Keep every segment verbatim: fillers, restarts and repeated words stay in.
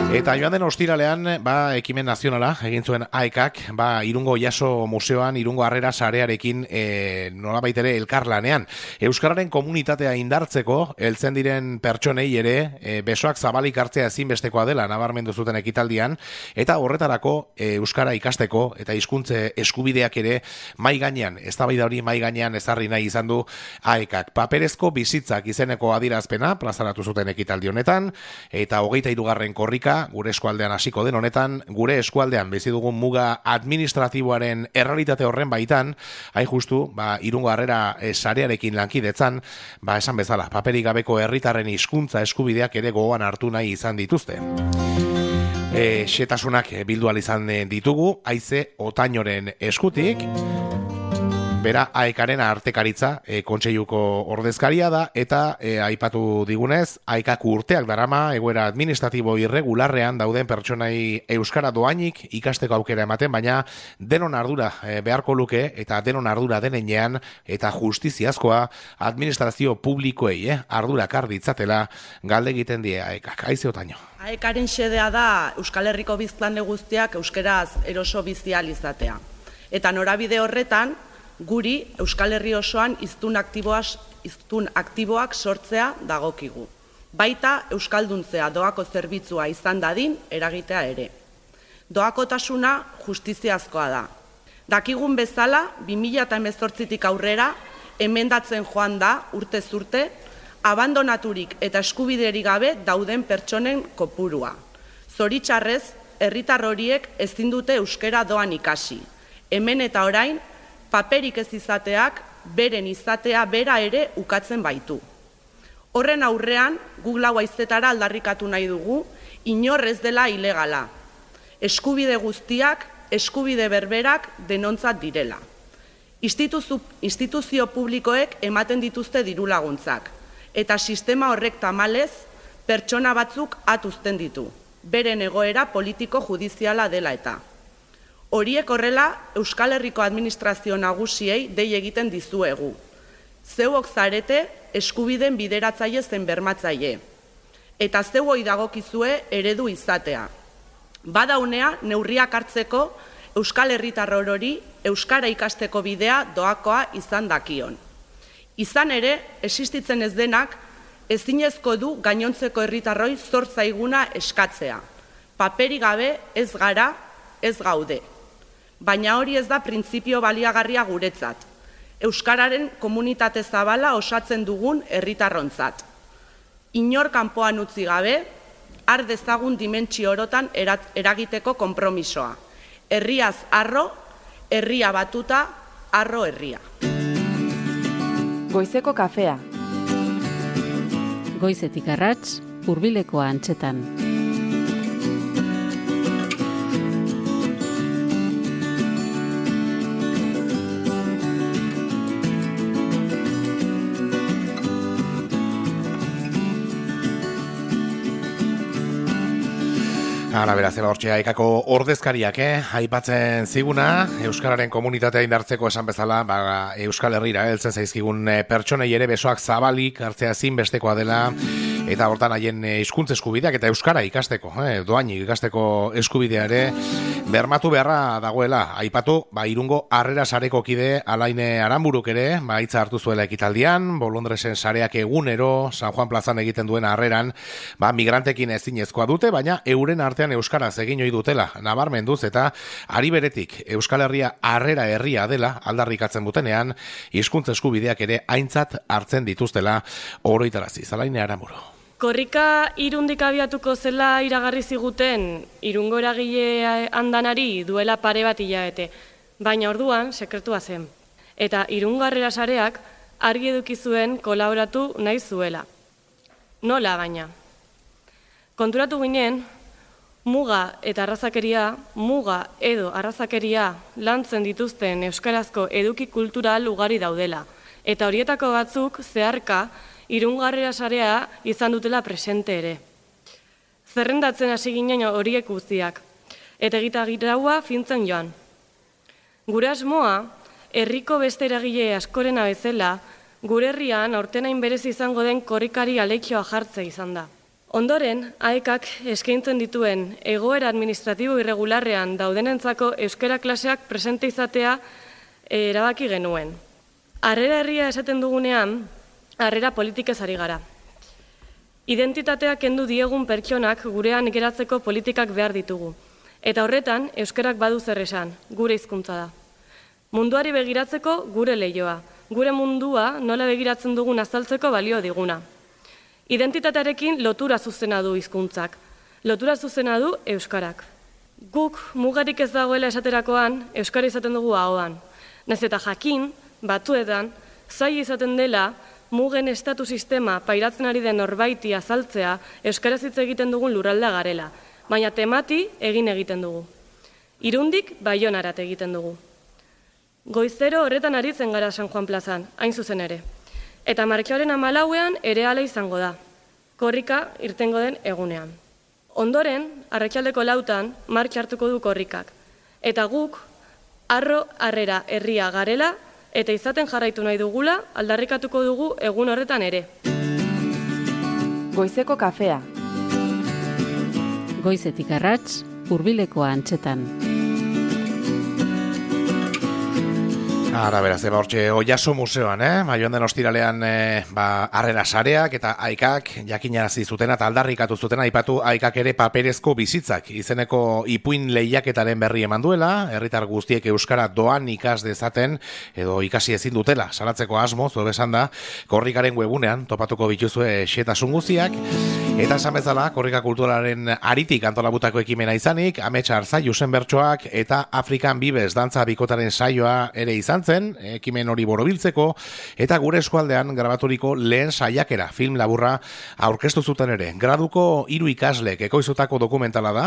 Eta joan den ostiralean, ba, ekimen nazionala egin zuen A E Kak, ba, Irungo Jaso Museoan, Irungo Harrera sarearekin e, nolabait ere elkarlanean. Euskararen komunitatea indartzeko, heltzen diren pertsonei ere, e, besoak zabalik hartzea ezinbestekoa dela nabarmendu zuten ekitaldian, eta horretarako e, Euskara ikasteko eta hizkuntze eskubideak ere mai gainean, eztabaida hori mai gainean ezarri nahi izan du A E Kak. Paperezko bizitzak izeneko adierazpena plazaratu zuten ekitaldi honetan, eta hogeita hirugarren korrika gure eskualdean hasiko den honetan, gure eskualdean bizi dugun muga administratiboaren errealitate horren baitan, hain justu, ba, Irungo Harrera e, sarearekin lankidetzan, ba, esan bezala, paperik gabeko herritarren hizkuntza eskubideak ere gogoan hartu nahi izan dituzte. E, xetasunak bildu ahal izan ditugu, Haize Otainoren eskutik, bera A E Karen artekaritza e, kontseiluko ordezkaria da, eta e, aipatu digunez, A E Kak urteak darama egoera administratibo irregularrean dauden pertsonai euskara doainik ikasteko aukera ematen, baina denon ardura e, beharko luke, eta denon ardura denean, eta justiziazkoa administrazio publikoei eh, ardura kar ditzatela galde egiten die A E Kak. Haize Otaino. A E Karen xedea da Euskal Herriko biztanle guztiak euskeraz eroso bizi ahal izatea. Eta norabide horretan, guri Euskal Herri osoan hiztun aktiboak, hiztun aktiboak sortzea dagokigu. Baita euskalduntzea doako zerbitzua izan dadin eragitea ere. Doakotasuna justiziazkoa da. Dakigun bezala, bi mila hemezortzitik aurrera, emendatzen joan da urtez urte, abandonaturik eta eskubiderik gabe dauden pertsonen kopurua. Zoritxarrez, herritar horiek ezin dute euskera doan ikasi. Hemen eta orain, paperik ez izateak, beren izatea bera ere ukatzen baitu. Horren aurrean, guk lau haizetara aldarrikatu nahi dugu, inor ez dela ilegala. Eskubide guztiak, eskubide berberak denontzat direla. Instituzio, instituzio publikoek ematen dituzte diru laguntzak, eta sistema horrek tamalez, pertsona batzuk atuzten ditu, beren egoera politiko judiziala dela eta. Horiek horrela, Euskal Herriko administrazio nagusiei dei egiten dizuegu. Zeuok zarete eskubideen bideratzaile zen bermatzaile. Eta zeuoi dagokizue eredu izatea. Badaunea neurriak hartzeko Euskal Herritar orori euskara ikasteko bidea doakoa izan dakion. Izan ere, existitzen ez denak, ezinezko du gainontzeko herritarroi zor zaiguna eskatzea. Paperik gabe ez gara, ez gaude. Baina hori ez da printzipio baliagarria guretzat. Euskararen komunitate zabala osatzen dugun herritarrontzat. Inor kanpoan utzi gabe, har dezagun dimentsio orotan eragiteko konpromisoa. Herriaz arro, herria batuta, arro herria. Goizeko kafea. Goizetik arrats, hurbileko antzetan. Hala, beraz, eba hortxe A E Kako ordezkariak, eh? Aipatzen ziguna, Euskararen komunitatea indartzeko esan bezala, ba, Euskal Herrira, heltzen zaizkigun pertsonei ere besoak zabalik hartzea zinbestekoa dela, eta hortan haien hizkuntza eskubideak eta Euskara ikasteko, eh? Doainik ikasteko eskubidea ere, bermatu beharra dagoela. Aipatu, ba, Irungo Harrera sareko kide Alaine Aranburuk ere, ba, hitza hartu zuela ekitaldian, Bolondresen sareak egunero, San Juan plazan egiten duen harreran, ba, migrantekin ezinezkoa dute, baina euren artean euskaraz egin ohi dutela, nabarmenduz, eta ari beretik Euskal Herria harrera herria dela aldarrikatzen dutenean, hizkuntza eskubideak ere aintzat hartzen dituztela oroitarazi. Alaine Aranburu. Korrika Irundik abiatuko zela iragarri ziguten Irungo eragile andanari duela pare bat hilabete, baina orduan sekretua zen. Eta Irungo Harrera sareak argi eduki zuen kolaboratu nahi zuela. Nola baina? Konturatu ginen, muga eta arrazakeria, muga edo arrazakeria lantzen dituzten euskarazko eduki kultural ugari daudela, eta horietako batzuk zeharka Irungo Harrera sarea izan dutela presente ere. Zerrendatzen hasi ginen horiek guztiak, eta egitagiraua fintzen joan. Gure asmoa, herriko beste eragile askorena bezala, gure herrian aurtenain berez izango den korrikari aleikioa jartzea izan da. Ondoren, aekak eskaintzen dituen egoera administratibo irregularrean daudenentzako euskara klaseak presente izatea erabaki genuen. Harrera herria esaten dugunean, harrera politikez ari gara. Identitateak kendu diegun pertsonak gurean geratzeko politikak behar ditugu. Eta horretan, euskarak badu zer esan, gure hizkuntza da. Munduari begiratzeko gure leioa, gure mundua nola begiratzen dugun azaltzeko balio diguna. Identitatearekin lotura zuzena du hizkuntzak, lotura zuzena du euskarak. Guk mugarik ez dagoela esaterakoan, euskara izaten dugu ahoan. Nahiz eta jakin, batuetan, zaila izaten dela, mugen estatu sistema pairatzen ari den norbaiti azaltzea euskaraz hitz egiten dugun lurraldea garela, baina temati egin egiten dugu. Irundik Baionarat egiten dugu. Goizero horretan aritzen gara San Juan plazan, hain zuzen ere. Eta martxoaren hamalauean ere hala izango da, korrika irtengo den egunean. Ondoren, arratsaldeko lautan, martxa hartuko du korrikak. Eta guk, harro harrera herria garela, eta izaten jarraitu nahi dugula, aldarrikatuko dugu egun horretan ere. Goizeko kafea. Goizetik arrats, hurbilekoa antzetan. Ara, beraz, eba hortxe, Oiaso museoan, eh? Ba, joan den ostiralean, eh, ba, harrera sareak eta aikak jakinarazi zutena eta aldarrikatu zutena, aipatu aikak ere paperezko bizitzak. Izeneko ipuin lehiaketaren berri eman duela, herritar guztiek euskara doan ikas dezaten, edo ikasi ezin dutela, salatzeko asmo, zo besan da, korrikaren webunean, topatuko bituzue xetasun guztiak, eta esan bezala, korrika kulturaren aritik antolabutako ekimena izanik, Ametsa Arzai Jusen Bertsoak eta Afrikan Bibes dantza bikotaren saioa ere izan zen, ekimen hori borobiltzeko, eta gure eskualdean grabaturiko lehen saiakera film laburra aurkeztu zuten ere. Graduko hiru ikaslek ekoizutako dokumentala da,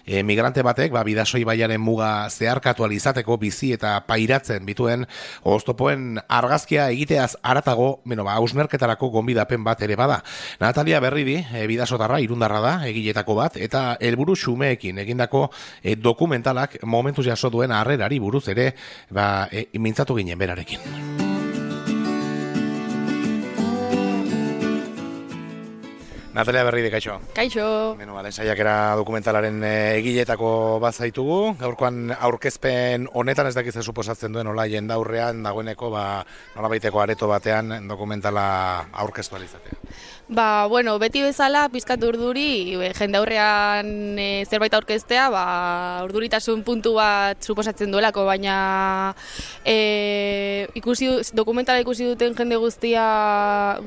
e, migrante batek, ba, Bidasoi baiaren muga zeharkatu alizateko bizi eta pairatzen bituen oztopoen argazkia egiteaz aratago, beno, ba, hausnerketarako gonbidapen bat ere bada. Natalia Berridi, e, bidasotarra, irundarra da, egiletako bat, eta helburu xumeekin egindako e, dokumentalak momentuz jaso duen harrerari buruz ere, ba, e, mintzatu ginen berarekin. Natalia Berridi, kaixo. Kaixo. Beno, bale, saiakera dokumentalaren egiletako bat zaitugu. Gaurkoan aurkezpen honetan ez dakiz suposatzen duen nola jendaurrean dagoeneko, ba, nolabaiteko areto batean dokumentala aurkeztu alizatea. Ba, bueno, beti bezala, pizkat urduri, jendaurrean e, zerbait aurkeztea, ba, urduritasun puntu bat suposatzen duelako, baina e, ikusi, dokumentala ikusi duten jende guztia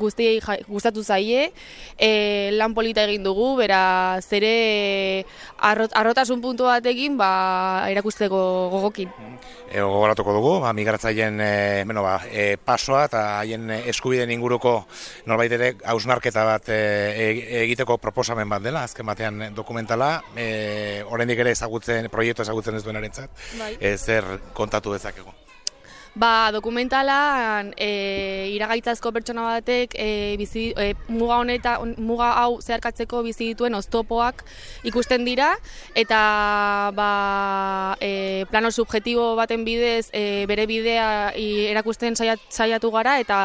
guztiei gustatu zaie, e, lan polita egin dugu, beraz ere arrot, arrotasun puntu batekin ba, erakusteko gogokin. E, gogoratuko dugu, ba, migratzaileen e, bueno, ba, e, pasoa eta haien eskubideen inguruko norbait ere hausnarketa bat e, egiteko proposamen bat dela, azken batean dokumentala, e, oraindik ere ezagutzen, proiektu ezagutzen ez duenarentzat, bai. e, zer kontatu dezakegu? Ba, dokumentalan e, iragaitzazko pertsona batek e, bizi, e, muga honeta, muga hau zeharkatzeko bizi dituen oztopoak ikusten dira, eta ba, e, plano subjetibo baten bidez e, bere bidea i, erakusten saiat, saiatu gara, eta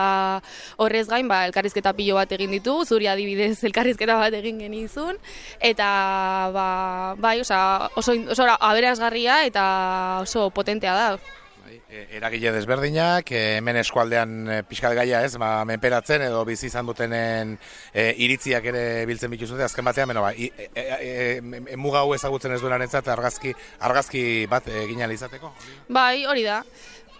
horrez gain ba, elkarrizketa pilo bat egin ditu, zuri adibidez elkarrizketa bat egin genizun, eta ba, bai, oza, oso, oso aberasgarria eta oso potentea da. Eragile desberdinak, hemen eskualdean pixkat gaia ez, ba, menperatzen edo bizi izan dutenen e, iritziak ere biltzen bituzute, azken batean, beno, ba, e, e, e, muga hau ezagutzen ez duenarentzat argazki, argazki bat egin ahal izateko? Bai, hori da.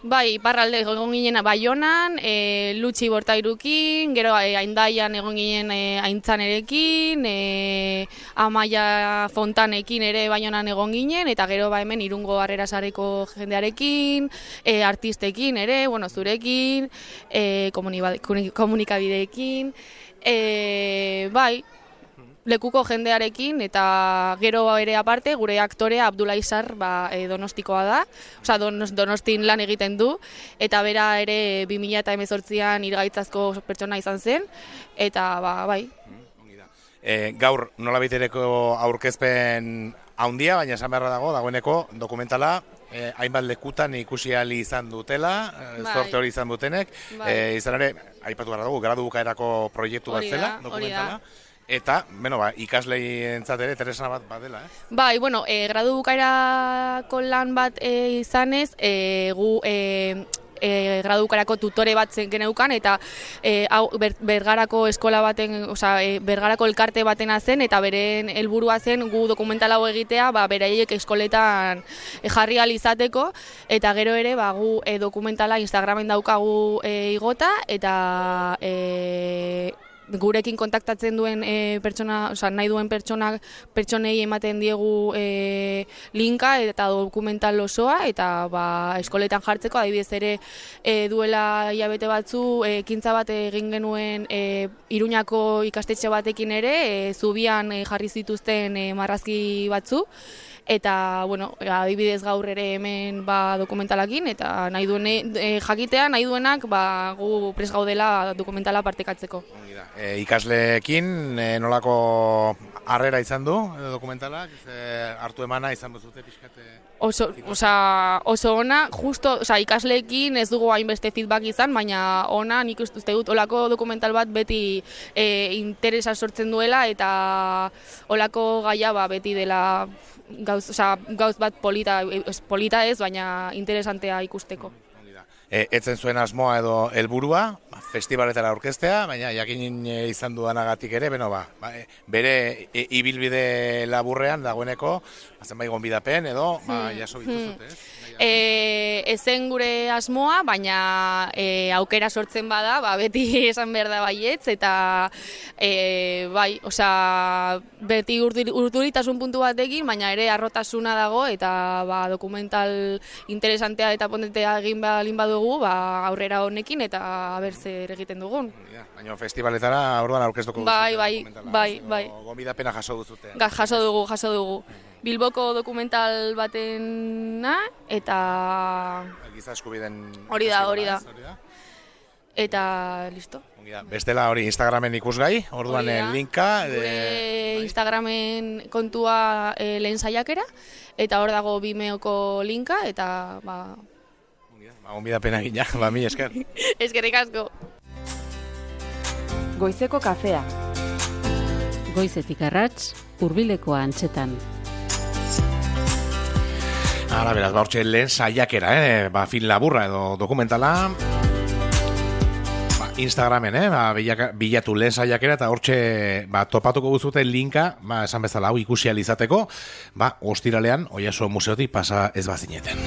Bai, iparralde egon ginen Baionan, e, Lutxi Bortairukin, gero e, Aindaian egon ginen e, Aintzanerekin, e, Amaia Fontanekin ere Baionan egon ginen, eta gero ba hemen Irungo Harrera Sareko jendearekin, e, artistekin ere, bueno, zurekin, e, komunikabideekin, e, bai, lekuko jendearekin, eta gero ere aparte, gure aktorea Abdullah Izar ba, e, donostikoa da, osea donos, donostin lan egiten du, eta bera ere bi mila hemezortzian irgaitzazko pertsona izan zen, eta ba, bai. E, gaur nolabitereko aurkezpen haundia, baina esan beharra dago, dagoeneko dokumentala, E, hainbat lekutan ikusi ahal izan dutela, bai. Zorte hori izan dutenek, bai. e, izan ere, aipatu gara dugu, gradu bukaerako proiektu bat zela, dokumentala. Eta, bueno, ba, ikaslei entzat ere, Teresa bat badela, eh? Bai, bueno, e, gradu bukaerako lan bat e, izanez, e, gu e, e, gradu bukaerako tutore bat zen geneukan, eta e, hau, ber, bergarako eskola baten, osea, e, bergarako elkarte batena zen, eta beren helburua zen gu dokumental hau egitea, ba, beraiek eskoletan e, jarri ahal izateko, eta gero ere, ba, gu e, dokumentala Instagramen daukagu e, igota, eta e, gurekin kontaktatzen duen e, pertsona, oza, nahi duen pertsonak pertsonei ematen diegu e, linka eta dokumental osoa, eta ba, eskoletan jartzeko, adibidez ere e, duela hilabete batzu e, ekintza bat egin genuen e, Iruñako ikastetxe batekin ere, e, zubian e, jarri zituzten e, marrazki batzu, eta, bueno, adibidez gaur ere hemen ba, dokumentalakin, eta nahi duen e, jakitea, nahi duenak ba, gu prest gaudela dokumentala partekatzeko. E, ikasleekin e, nolako harrera izan du e, dokumentalak, e, hartu emana izan duzute pixkate? Oso, osa, oso ona, justo, osa, ikasleekin ez dugu hainbeste feedback izan, baina ona, nik uste dut olako dokumental bat beti e, interesa sortzen duela, eta olako gaia ba, beti dela gauz, osa, gauz bat polita, polita ez, baina interesantea ikusteko. E, etzen zuen asmoa edo helburua, ba, festivaletara aurkeztea, baina jakin izan dudanagatik ere, beno, ba, ba, bere e, ibilbide laburrean dagoeneko, zenbait gonbidapen edo ba, jaso bituzute, ez? E, ezen gure asmoa, baina e, aukera sortzen bada, ba, beti esan behar da baietz, eta e, bai, osea, beti urduritasun puntu batekin, baina ere arrotasuna dago, eta ba, dokumental interesantea eta ponentea egin balin badugu, ba, aurrera honekin, eta aber zer egiten dugun. Baina festivaletara orduan aurkeztuko duzute. Bai, bai, bai, bai. Gonbidapena jaso duzute. Ga, jaso dugu, jaso dugu. Bilboko dokumental batena, eta Giza eskubideen hori da, hori da. Eta listo. Bestela hori Instagramen ikusgai, orduan linka. Gure e, Instagramen kontua e, lehen saiakera, eta hor dago Vimeoko linka, eta ba... Ba, gonbidapena gina, ba, mi esker. Eskerrik asko. Goizeko kafea. Goizetik arrats, hurbilekoa antzetan. Hala, beraz, ba, hortxe lehen saiakera, eh? Ba, film laburra edo dokumentala. Ba, Instagramen, eh? Ba, bilatu lehen saiakera, eta hortxe ba, topatuko guztuten linka, ba, esan bezala hau ikusi alizateko, ba, ostiralean, Oiartzun museotik pasa ez bazineten.